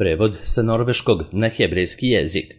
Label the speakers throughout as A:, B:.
A: Prevod sa norveškog na hebrejski jezik.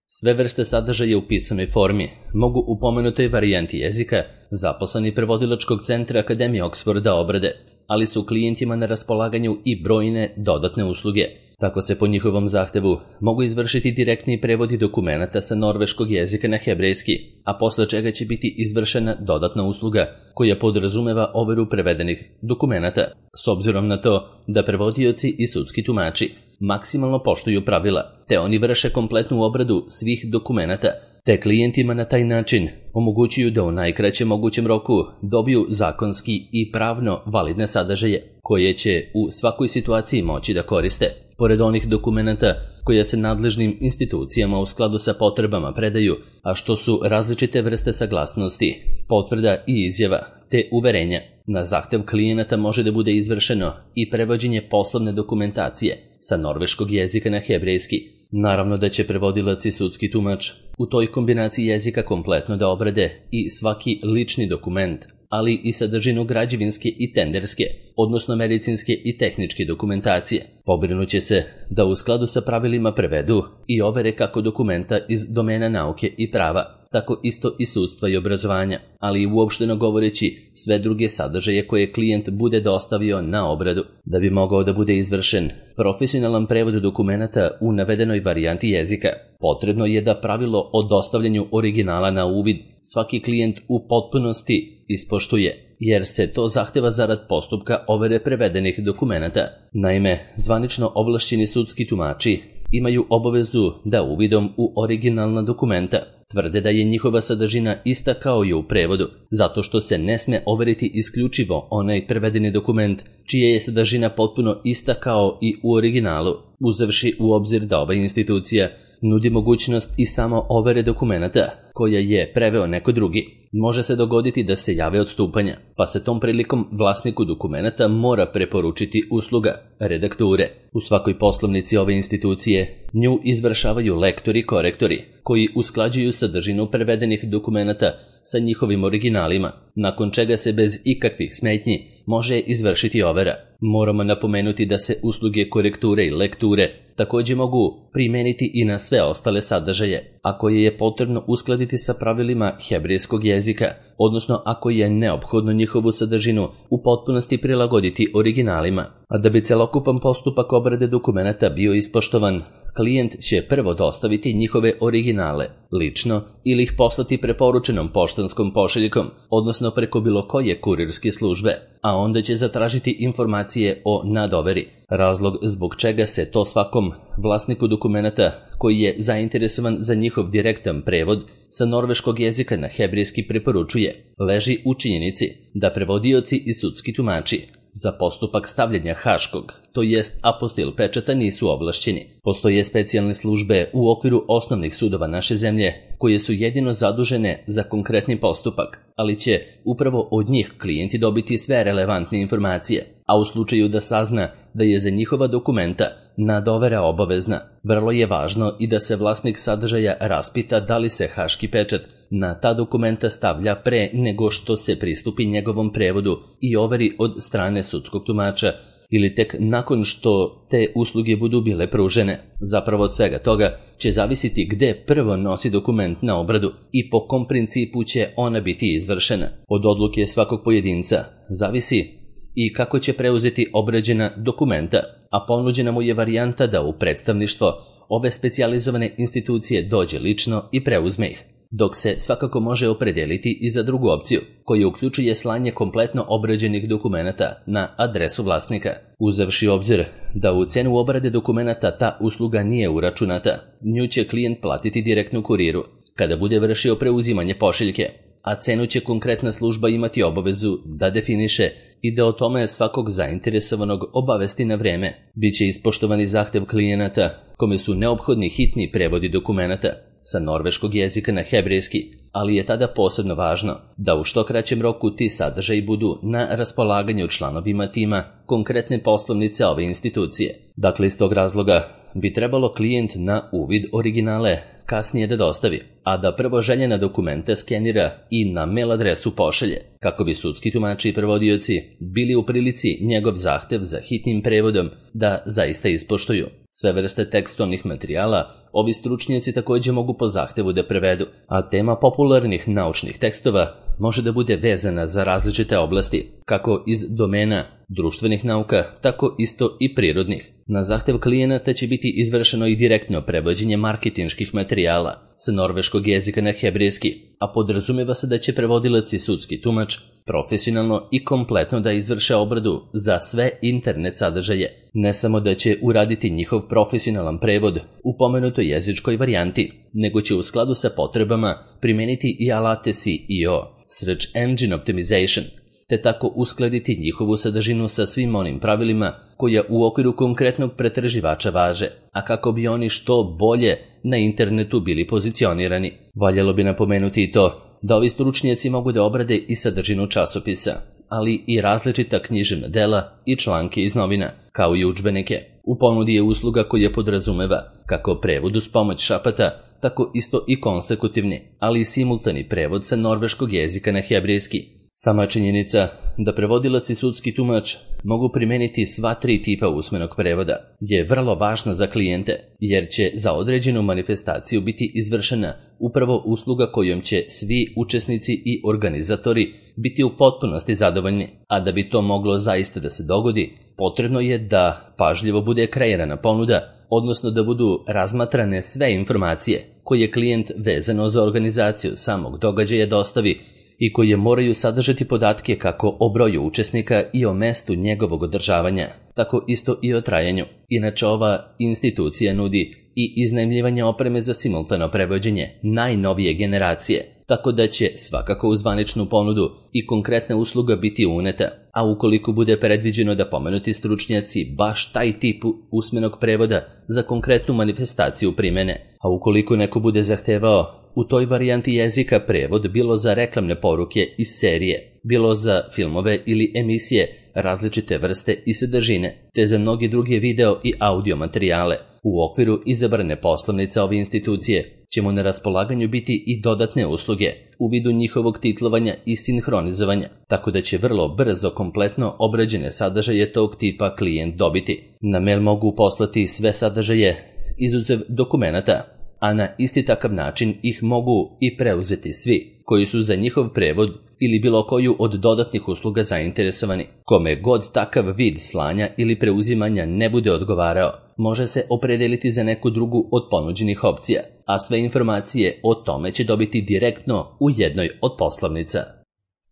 A: Sve vrste sadržaja u pisanoj formi mogu u pomenutoj varijanti jezika zaposleni prevodilačkog centra Akademije Oksforda obrade, ali su klijentima na raspolaganju i brojne dodatne usluge. Tako se po njihovom zahtevu mogu izvršiti direktni prevodi dokumenata sa norveškog jezika na hebrejski, a posle čega će biti izvršena dodatna usluga koja podrazumeva overu prevedenih dokumenata, s obzirom na to da prevodioci i sudski tumači maksimalno poštuju pravila, te oni vrše kompletnu obradu svih dokumenata, te klijentima na taj način omogućuju da u najkraćem mogućem roku dobiju zakonski i pravno validne sadržaje koje će u svakoj situaciji moći da koriste. Pored onih dokumenata koja se nadležnim institucijama u skladu sa potrebama predaju, a što su različite vrste saglasnosti, potvrda i izjava, te uverenja. Na zahtev klijenata može da bude izvršeno i prevođenje poslovne dokumentacije sa norveškog jezika na hebrejski. Naravno da će prevodilac i sudski tumač u toj kombinaciji jezika kompletno da obrade i svaki lični dokument, ali i sadržinu građevinske i tenderske, odnosno medicinske i tehničke dokumentacije. Pobrinuće se da u skladu sa pravilima prevedu i overe kako dokumenta iz domena nauke i prava, tako isto i sudstva i obrazovanja, ali i uopšteno govoreći sve druge sadržaje koje klijent bude dostavio na obradu. Da bi mogao da bude izvršen profesionalan prevod dokumenata u navedenoj varijanti jezika, potrebno je da pravilo o dostavljanju originala na uvid svaki klijent u potpunosti ispoštuje, jer se to zahteva zarad postupka overe prevedenih dokumenata. Naime, zvanično ovlašćeni sudski tumači imaju obavezu da uvidom u originalna dokumenta tvrde da je njihova sadržina ista kao i u prevodu, zato što se ne sme overiti isključivo onaj prevedeni dokument čija je sadržina potpuno ista kao i u originalu, uzevši u obzir da ova institucija nudi mogućnost i samo overe dokumenata koja je preveo neko drugi. Može se dogoditi da se jave odstupanja, pa se tom prilikom vlasniku dokumenata mora preporučiti usluga redakture. U svakoj poslovnici ove institucije nju izvršavaju lektori i korektori koji usklađuju sadržinu prevedenih dokumenata sa njihovim originalima, nakon čega se bez ikakvih smetnji može izvršiti overa. Moramo napomenuti da se usluge korekture i lekture također mogu primeniti i na sve ostale sadržaje, a koje je potrebno uskladiti sa pravilima hebrejskog jezika, odnosno ako je neophodno njihovu sadržinu u potpunosti prilagoditi originalima. A da bi celokupan postupak obrade dokumenata bio ispoštovan, klijent će prvo dostaviti njihove originale lično ili ih poslati preporučenom poštanskom pošiljkom, odnosno preko bilo koje kurirske službe, a onda će zatražiti informacije o nadoveri. Razlog zbog čega se to svakom vlasniku dokumenata koji je zainteresovan za njihov direktan prevod sa norveškog jezika na hebrejski preporučuje leži u činjenici da prevodioci i sudski tumači za postupak stavljanja haškog, to jest apostil pečata, nisu ovlašćeni. Postoje specijalne službe u okviru osnovnih sudova naše zemlje koje su jedino zadužene za konkretni postupak, ali će upravo od njih klijenti dobiti sve relevantne informacije, a u slučaju da sazna da je za njihova dokumenta nadovera obavezna, vrlo je važno i da se vlasnik sadržaja raspita da li se haški pečat na ta dokumenta stavlja pre nego što se pristupi njegovom prevodu i overi od strane sudskog tumača ili tek nakon što te usluge budu bile pružene. Zapravo od svega toga će zavisiti gde prvo nosi dokument na obradu i po kom principu će ona biti izvršena. Od odluke svakog pojedinca zavisi i kako će preuzeti obrađena dokumenta, a ponuđena mu je varijanta da u predstavništvo ove specijalizovane institucije dođe lično i preuzme ih, dok se svakako može opredeliti i za drugu opciju, koja uključuje slanje kompletno obrađenih dokumenata na adresu vlasnika. Uzevši obzir da u cenu obrade dokumenata ta usluga nije uračunata, nju će klijent platiti direktno kuriru kada bude vršio preuzimanje pošiljke, a cenu će konkretna služba imati obavezu da definiše i da o tome svakog zainteresovanog obavesti na vreme. Biće ispoštovani zahtev klijenata kome su neophodni hitni prevodi dokumenata sa norveškog jezika na hebrejski, ali je tada posebno važno da u što kraćem roku ti sadržaji budu na raspolaganju članovima tima konkretne poslovnice ove institucije. Dakle, iz tog razloga bi trebalo klijent na uvid originale kasnije da dostavi, a da prvo željene dokumente skenira i na mail adresu pošalje, kako bi sudski tumači i prevodioci bili u prilici njegov zahtev za hitnim prevodom da zaista ispoštuju. Sve vrste tekstovnih materijala ovi stručnjaci također mogu po zahtevu da prevedu, a tema popularnih naučnih tekstova može da bude vezana za različite oblasti, kako iz domena društvenih nauka, tako isto i prirodnih. Na zahtev klijenata će biti izvršeno i direktno prevođenje marketinških materijala sa norveškog jezika na hebrejski, a podrazumeva se da će prevodilac i sudski tumač profesionalno i kompletno da izvrše obradu za sve internet sadržaje. Ne samo da će uraditi njihov profesionalan prevod u pomenutoj jezičkoj varijanti, nego će u skladu sa potrebama primeniti i alate SEO, Search Engine Optimization, te tako uskladiti njihovu sadržinu sa svim onim pravilima koja u okviru konkretnog pretraživača važe, a kako bi oni što bolje na internetu bili pozicionirani. Valjalo bi napomenuti i to da ovi stručnjaci mogu da obrade i sadržinu časopisa, ali i različita književna dela i članke iz novina, kao i udžbenike. U ponudi je usluga koja podrazumeva kako prevod uz pomoć šapata, tako isto i konsekutivni, ali i simultani prevod sa norveškog jezika na hebrejski. Sama činjenica da prevodilac i sudski tumač mogu primeniti sva tri tipa usmenog prevoda je vrlo važna za klijente, jer će za određenu manifestaciju biti izvršena upravo usluga kojom će svi učesnici i organizatori biti u potpunosti zadovoljni, a da bi to moglo zaista da se dogodi, potrebno je da pažljivo bude kreirana ponuda, odnosno da budu razmatrane sve informacije koje klijent vezano za organizaciju samog događaja dostavi i koje moraju sadržati podatke kako o broju učesnika i o mestu njegovog održavanja, tako isto i o trajanju. Inače, ova institucija nudi i iznajmljivanje opreme za simultano prevođenje najnovije generacije, tako da će svakako u zvaničnu ponudu i konkretna usluga biti uneta, a ukoliko bude predviđeno da pomenuti stručnjaci baš taj tip usmenog prevoda za konkretnu manifestaciju primene, a ukoliko neko bude zahtevao u toj varijanti jezika prevod bilo za reklamne poruke iz serije, bilo za filmove ili emisije različite vrste i sadržine, te za mnoge druge video i audio materijale. U okviru izabrane poslovnice ove institucije će mu na raspolaganju biti i dodatne usluge u vidu njihovog titlovanja i sinhronizovanja, tako da će vrlo brzo kompletno obrađene sadržaje tog tipa klijent dobiti. Na mail mogu poslati sve sadržaje izuzev dokumenata, a na isti takav način ih mogu i preuzeti svi koji su za njihov prevod ili bilo koju od dodatnih usluga zainteresovani. Kome god takav vid slanja ili preuzimanja ne bude odgovarao, može se opredeliti za neku drugu od ponuđenih opcija, a sve informacije o tome će dobiti direktno u jednoj od poslovnica.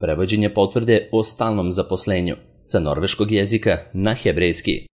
A: Prevođenje potvrde o stalnom zaposlenju sa norveškog jezika na hebrejski.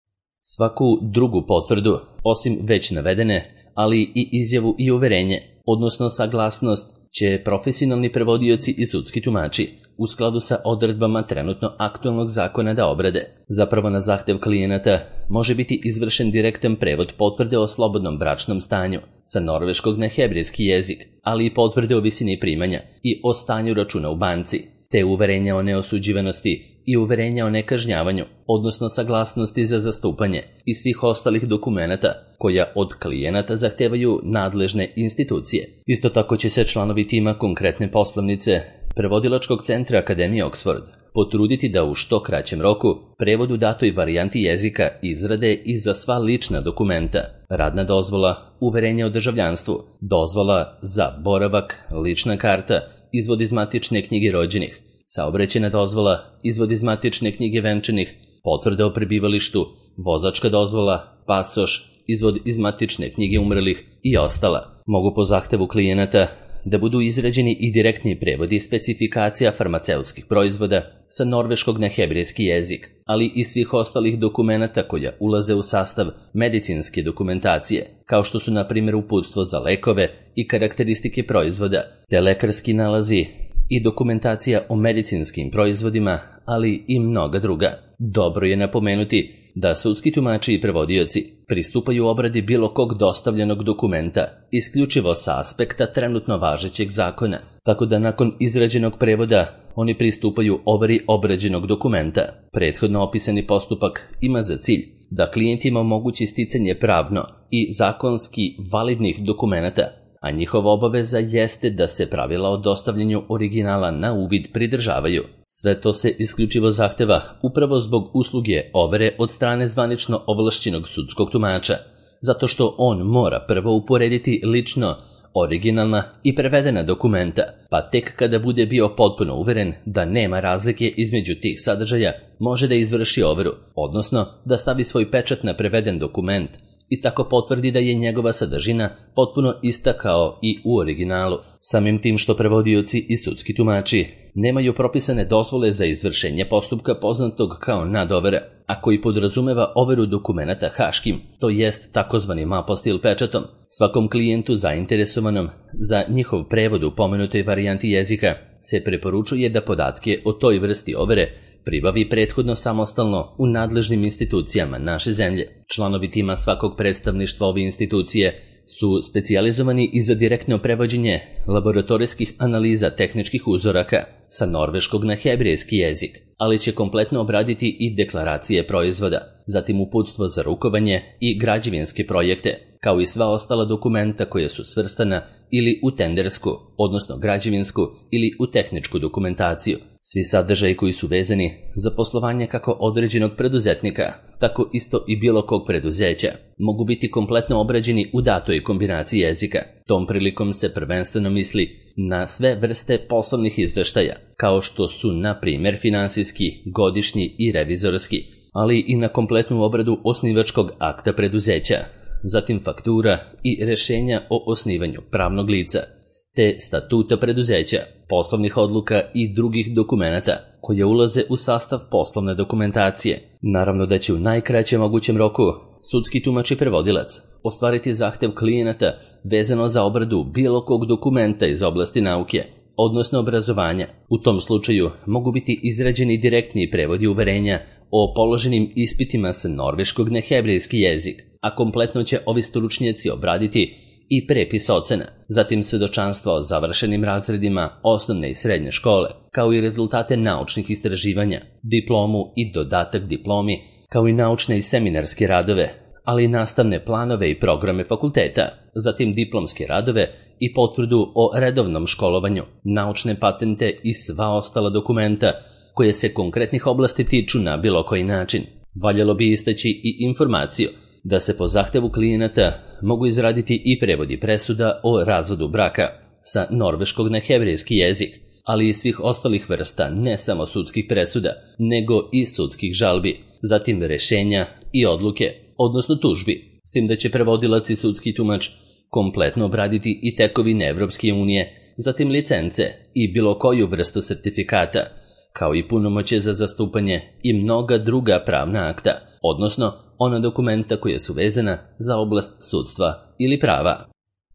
A: Svaku drugu potvrdu, osim već navedene, ali i izjavu i uverenje, odnosno saglasnost, će profesionalni prevodioci i sudski tumači u skladu sa odredbama trenutno aktualnog zakona da obrade. Zapravo na zahtev klijenata može biti izvršen direktan prevod potvrde o slobodnom bračnom stanju sa norveškog na hebrejski jezik, ali i potvrde o visini primanja i o stanju računa u banci, te uverenja o neosuđivanosti i uverenja o nekažnjavanju, odnosno saglasnosti za zastupanje i svih ostalih dokumenata koja od klijenata zahtevaju nadležne institucije. Isto tako će se članovi tima konkretne poslovnice Prevodilačkog centra Akademije Oxford potruditi da u što kraćem roku prevod u datoj varijanti jezika izrade i za sva lična dokumenta, radna dozvola, uverenje o državljanstvu, dozvola za boravak, lična karta, izvod iz matične knjige rođenih, saobraćajna dozvola, izvod iz matične knjige venčanih, potvrda o prebivalištu, vozačka dozvola, pasoš, izvod iz matične knjige umrlih i ostala. Mogu po zahtevu klijenata da budu izrađeni i direktni prevodi specifikacija farmaceutskih proizvoda sa norveškog na hebrejski jezik, ali i svih ostalih dokumenata koja ulaze u sastav medicinske dokumentacije, kao što su na primjer uputstvo za lekove i karakteristike proizvoda, te lekarski nalazi i dokumentacija o medicinskim proizvodima, ali i mnoga druga. Dobro je napomenuti da sudski tumači i prevodioci pristupaju obradi bilo kog dostavljenog dokumenta isključivo sa aspekta trenutno važećeg zakona, tako da nakon izrađenog prevoda oni pristupaju overi obrađenog dokumenta. Prethodno opisani postupak ima za cilj da klijentima omogući sticanje pravno i zakonski validnih dokumenata, a njihova obaveza jeste da se pravila o dostavljanju originala na uvid pridržavaju. Sve to se isključivo zahteva upravo zbog usluge overe od strane zvanično ovlašćenog sudskog tumača, zato što on mora prvo uporediti lično originalna i prevedena dokumenta, pa tek kada bude bio potpuno uveren da nema razlike između tih sadržaja, može da izvrši overu, odnosno da stavi svoj pečat na preveden dokument i tako potvrdi da je njegova sadržina potpuno ista kao i u originalu. Samim tim što prevodioci i sudski tumači nemaju propisane dozvole za izvršenje postupka poznatog kao nadovera, a koji podrazumeva overu dokumenata haškim, to jest takozvanim apostil pečatom. Svakom klijentu zainteresovanom za njihov prevod u pomenutoj varijanti jezika se preporučuje da podatke o toj vrsti overe pribavi prethodno samostalno u nadležnim institucijama naše zemlje. Članovi tima svakog predstavništva ove institucije su specijalizovani i za direktno prevođenje laboratorijskih analiza tehničkih uzoraka sa norveškog na hebrejski jezik, ali će kompletno obraditi i deklaracije proizvoda, zatim uputstvo za rukovanje i građevinske projekte, kao i sva ostala dokumenta koja su svrstana ili u tendersku, odnosno građevinsku ili u tehničku dokumentaciju. Svi sadržaji koji su vezani za poslovanje kako određenog preduzetnika, tako isto i bilo kog preduzeća, mogu biti kompletno obrađeni u datoj kombinaciji jezika. Tom prilikom se prvenstveno misli na sve vrste poslovnih izveštaja, kao što su, na primjer, finansijski, godišnji i revizorski, ali i na kompletnu obradu osnivačkog akta preduzeća, zatim faktura i rešenja o osnivanju pravnog lica, te statuta preduzeća, poslovnih odluka i drugih dokumenata koje ulaze u sastav poslovne dokumentacije. Naravno da će u najkraćem mogućem roku sudski tumač i prevodilac ostvariti zahtev klijenata vezano za obradu bilo kog dokumenta iz oblasti nauke, odnosno obrazovanja. U tom slučaju mogu biti izrađeni direktni prevodi uverenja o položenim ispitima sa norveškog na hebrejski jezik, a kompletno će ovi stručnjaci obraditi i prepis ocena, zatim svedočanstva o završenim razredima osnovne i srednje škole, kao i rezultate naučnih istraživanja, diplomu i dodatak diplomi, kao i naučne i seminarske radove, ali i nastavne planove i programe fakulteta, zatim diplomske radove i potvrdu o redovnom školovanju, naučne patente i sva ostala dokumenta koje se konkretnih oblasti tiču na bilo koji način. Valjalo bi istaći i informaciju da se po zahtevu klijenata mogu izraditi i prevodi presuda o razvodu braka sa norveškog na hebrejski jezik, ali i svih ostalih vrsta ne samo sudskih presuda, nego i sudskih žalbi, zatim rešenja i odluke, odnosno tužbi, s tim da će prevodilac i sudski tumač kompletno obraditi i tekovine Evropske unije, zatim licence i bilo koju vrstu sertifikata, kao i punomoćje za zastupanje i mnoga druga pravna akta, odnosno ona dokumenta koja su vezana za oblast sudstva ili prava.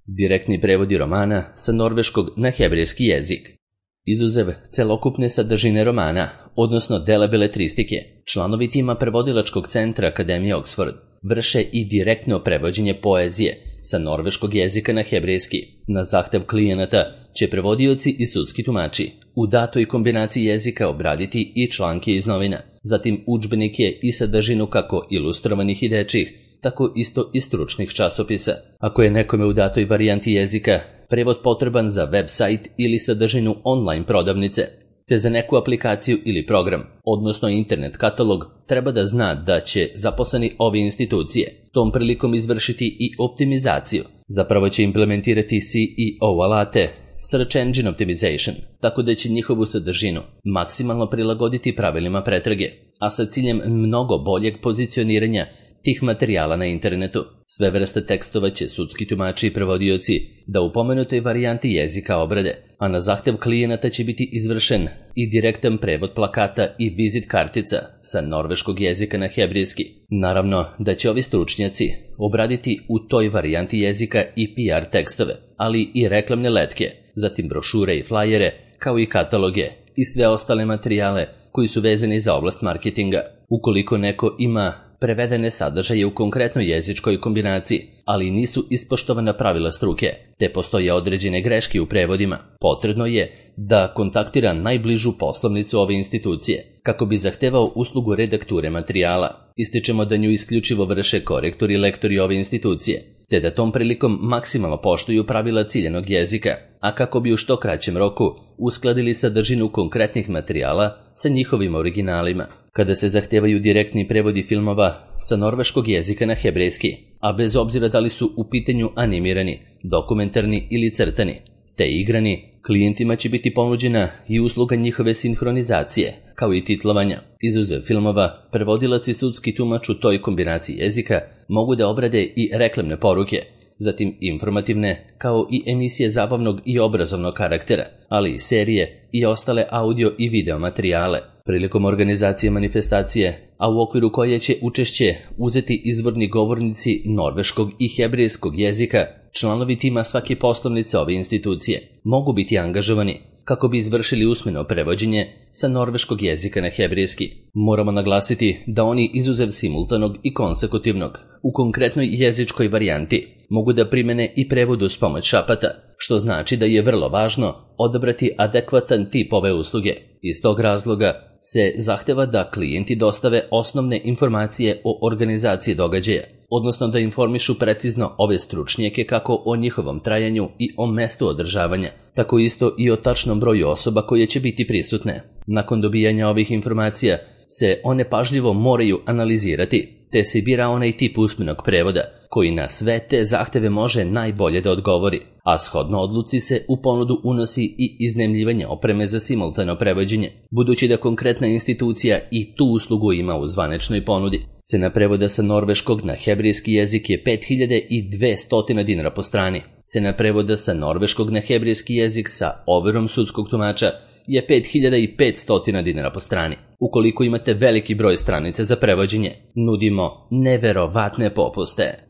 A: Direktni prevodi romana sa norveškog na hebrejski jezik. Izuzev celokupne sadržine romana, odnosno dela beletristike, članovi tima prevodilačkog centra Akademije Oxford vrše i direktno prevođenje poezije sa norveškog jezika na hebrejski. Na zahtev klijenata će prevodioci i sudski tumači u datoj kombinaciji jezika obraditi i članke iz novina, zatim udžbenike i sadržinu kako ilustrovanih i dečjih, tako isto i stručnih časopisa. Ako je nekome u datoj varijanti jezika prevod potreban za web sajt ili sadržinu online prodavnice, te za neku aplikaciju ili program, odnosno internet katalog, treba da zna da će zaposleni ove institucije tom prilikom izvršiti i optimizaciju. Zapravo će implementirati SEO alate, Search Engine Optimization, tako da će njihovu sadržinu maksimalno prilagoditi pravilima pretrage, a sa ciljem mnogo boljeg pozicioniranja tih materijala na internetu. Sve vrste tekstova će sudski tumači i prevodioci da u pomenutoj varijanti jezika obrade, a na zahtev klijenata će biti izvršen i direktan prevod plakata i vizit kartica sa norveškog jezika na hebrejski. Naravno da će ovi stručnjaci obraditi u toj varijanti jezika i PR tekstove, ali i reklamne letke, zatim brošure i flajere, kao i kataloge i sve ostale materijale koji su vezani za oblast marketinga. Ukoliko neko ima prevedene sadržaje u konkretnoj jezičkoj kombinaciji, ali nisu ispoštovana pravila struke, te postoje određene greške u prevodima. Potrebno je da kontaktira najbližu poslovnicu ove institucije, kako bi zahtevao uslugu redakture materijala. Ističemo da nju isključivo vrše korektori i lektori ove institucije, te da tom prilikom maksimalno poštuju pravila ciljanog jezika, a kako bi u što kraćem roku uskladili sadržinu konkretnih materijala sa njihovim originalima. Kada se zahtevaju direktni prevodi filmova sa norveškog jezika na hebrejski, a bez obzira da li su u pitanju animirani, dokumentarni ili crtani, te igrani, klijentima će biti ponuđena i usluga njihove sinhronizacije, kao i titlovanja. Izuzev filmova, prevodilac i sudski tumač u toj kombinaciji jezika mogu da obrade i reklamne poruke, zatim informativne, kao i emisije zabavnog i obrazovnog karaktera, ali i serije i ostale audio i video materijale. Prilikom organizacije manifestacije, a u okviru koje će učešće uzeti izvorni govornici norveškog i hebrejskog jezika, članovi tima svake poslovnice ove institucije mogu biti angažovani kako bi izvršili usmeno prevođenje sa norveškog jezika na hebrejski. Moramo naglasiti da oni izuzev simultanog i konsekutivnog u konkretnoj jezičkoj varijanti mogu da primene i prevod uz pomoć šapata, što znači da je vrlo važno odabrati adekvatan tip ove usluge. Iz tog razloga se zahteva da klijenti dostave osnovne informacije o organizaciji događaja, odnosno da informišu precizno ove stručnjake kako o njihovom trajanju i o mestu održavanja, tako isto i o tačnom broju osoba koje će biti prisutne. Nakon dobijanja ovih informacija se one pažljivo moraju analizirati, te se bira onaj tip usmenog prevoda koji na sve te zahteve može najbolje da odgovori, a shodno odluci se u ponudu unosi i iznajmljivanje opreme za simultano prevođenje, budući da konkretna institucija i tu uslugu ima u zvaničnoj ponudi. Cena prevoda sa norveškog na hebrejski jezik je 5200 dinara po strani. Cena prevoda sa norveškog na hebrejski jezik sa overom sudskog tumača je 5500 dinara po strani. Ukoliko imate veliki broj stranica za prevođenje, nudimo neverovatne popuste.